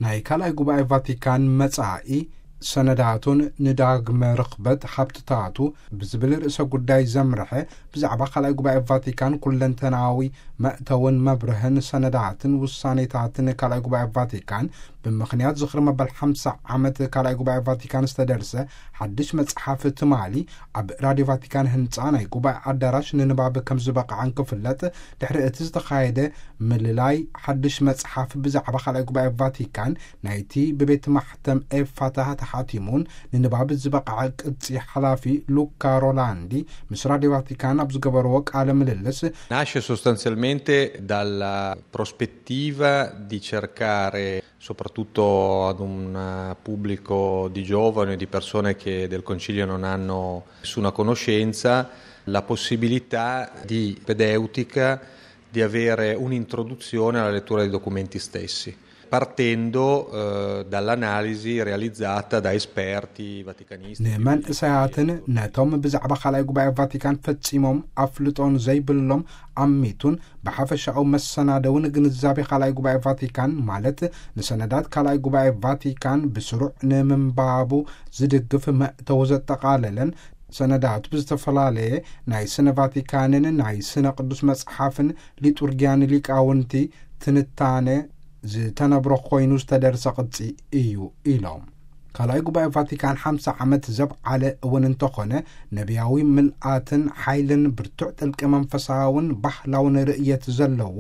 ናይ ካልኣይ ጉባኤ ቫቲካን መጻኢ ሰነዳቱን ንዳግመ ርኽበት ሃብትታቱ ብዝብል ርእሰ ጉዳይ ዘምርሐ፣ ብዛዕባ ካልኣይ ጉባኤ ቫቲካን ኩለንተናዊ መእተውን መብርህን ሰነዳትን ውሳኔታትን ካልኣይ ጉባኤ ቫቲካን ብምኽንያት ዝኽሪ መበል ሓምሳ ዓመት ካልኣይ ጉባኤ ቫቲካን ዝተደርሰ ሓድሽ መጽሓፍ ትማሊ ኣብ ራድዮ ቫቲካን ህንጻ ናይ ጉባኤ ኣዳራሽ ንንባብ ከም ዝበቕዐን ክፍለጥ፣ ድሕሪ እቲ ዝተኻየደ ምልላይ ሓድሽ መጽሓፍ ብዛዕባ ካልኣይ ጉባኤ ቫቲካን ናይቲ ብቤት ማሕተም ኤፋታ ተሓቲሙን ንንባብ ዝበቕዐ ቅጺ ሓላፊ ሉካ ሮላንዲ ምስ ራድዮ ቫቲካን ኣብ ዝገበርዎ ቃለ ምልልስ፣ Nasce sostanzialmente dalla prospettiva di cercare, soprattutto ad un pubblico di giovani o di persone che del Concilio non hanno nessuna conoscenza, la possibilità di pedeutica di avere un'introduzione alla lettura dei documenti stessi, partendo eh, dall'analisi realizzata da esperti vaticanisti. ንመንእሰያትን ነቶም ብዛዕባ ካልኣይ ጉባኤ ቫቲካን ፈጺሞም ኣፍልጦን ዘይብሎም ኣሚቱን ብሓፈሻኡ መሰናደዊ ንግንዛቤ ካልኣይ ጉባኤ ቫቲካን፣ ማለት ንሰነዳት ካልኣይ ጉባኤ ቫቲካን ብስሩዕ ንምንባቡ ዝድግፍ መእተዊ ዘጠቓለለን፣ ሰነዳቱ ብዝተፈላለየ ናይ ስነ ቫቲካንን ናይ ስነ ቅዱስ መጽሓፍን ሊጡርጊያን ሊቃውንቲ ትንታነ ዝተነብሮ ኮይኑ ዝተደርሰ ቅጺ እዩ ኢሎም። ካልኣይ ጉባኤ ቫቲካን ሓምሳ ዓመት ዘብዓለ እውን እንተኾነ፣ ነቢያዊ ምልኣትን ሓይልን ብርቱዕ ጥልቂ መንፈሳውን ባህላውን ርእየት ዘለዎ፣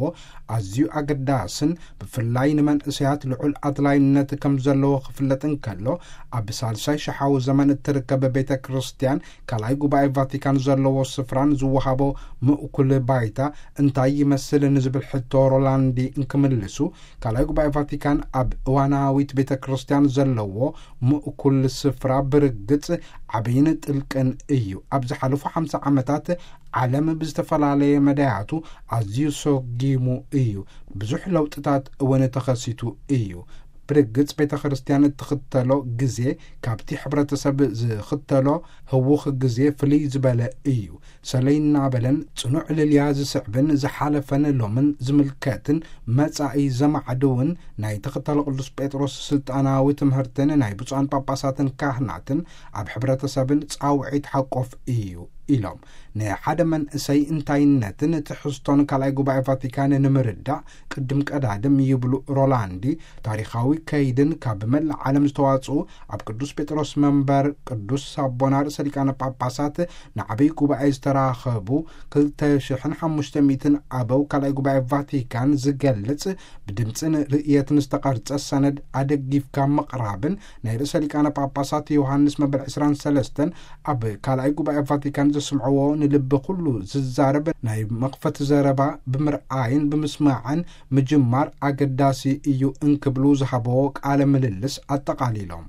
ኣዝዩ ኣገዳስን ብፍላይ ንመንእሰያት ልዑል ኣድላይነት ከም ዘለዎ ክፍለጥ እንከሎ፣ ኣብ ሳልሳይ ሸሓዊ ዘመን እትርከብ ቤተ ክርስቲያን ካልኣይ ጉባኤ ቫቲካን ዘለዎ ስፍራን ዝወሃቦ ምእኩል ባይታ እንታይ ይመስል ንዝብል ሕቶ ሮላንዲ እንክምልሱ፣ ካልኣይ ጉባኤ ቫቲካን ኣብ እዋናዊት ቤተ ክርስቲያን ዘለዎ ምእኩል ስፍራ ብርግጽ ዓብይን ጥልቅን እዩ። ኣብ ዝሓለፉ ሓምሳ ዓመታት ዓለም ብዝተፈላለየ መዳያቱ ኣዝዩ ሰጊሙ እዩ። ብዙሕ ለውጥታት እውን ተኸሲቱ እዩ። ብርግጽ ቤተ ክርስቲያን እትኽተሎ ግዜ ካብቲ ሕብረተሰብ ዝኽተሎ ህውኽ ግዜ ፍልይ ዝበለ እዩ። ሰለይ እናበለን ጽኑዕ ልልያ ዝስዕብን ዝሓለፈን ሎምን ዝምልከትን መጻኢ ዘማዕድውን ናይ ተኸተሎ ቅዱስ ጴጥሮስ ስልጣናዊ ትምህርትን ናይ ብፁዓን ጳጳሳትን ካህናትን ኣብ ሕብረተሰብን ጻውዒት ሓቆፍ እዩ ኢሎም። ንሓደ መንእሰይ እንታይነትን ትሕዝቶን ካልኣይ ጉባኤ ቫቲካን ንምርዳእ ቅድም ቀዳድም ይብሉ ሮላንዲ፣ ታሪኻዊ ከይድን ካብ መላእ ዓለም ዝተዋጽኡ ኣብ ቅዱስ ጴጥሮስ መንበር ቅዱስ ኣቦና ርእሰ ሊቃነ ጳጳሳት ንዓብይ ጉባኤ ዝተራኸቡ ክልተ ሽሕን ሓሙሽተ ሚእትን ኣበው ካልኣይ ጉባኤ ቫቲካን ዝገልጽ ብድምጽን ርእየትን ዝተቐርጸ ሰነድ ኣደጊፍካ ምቕራብን ናይ ርእሰ ሊቃነ ጳጳሳት ዮሃንስ መበል ዕስራን ሰለስተን ኣብ ካልኣይ ጉባኤ ቫቲካን ዘስምዕዎ ንልቢ ኩሉ ዝዛረብ ናይ መኽፈቲ ዘረባ ብምርኣይን ብምስማዕን ምጅማር ኣገዳሲ እዩ እንክብሉ ዝሃበዎ ቃለ ምልልስ ኣጠቓሊሎም።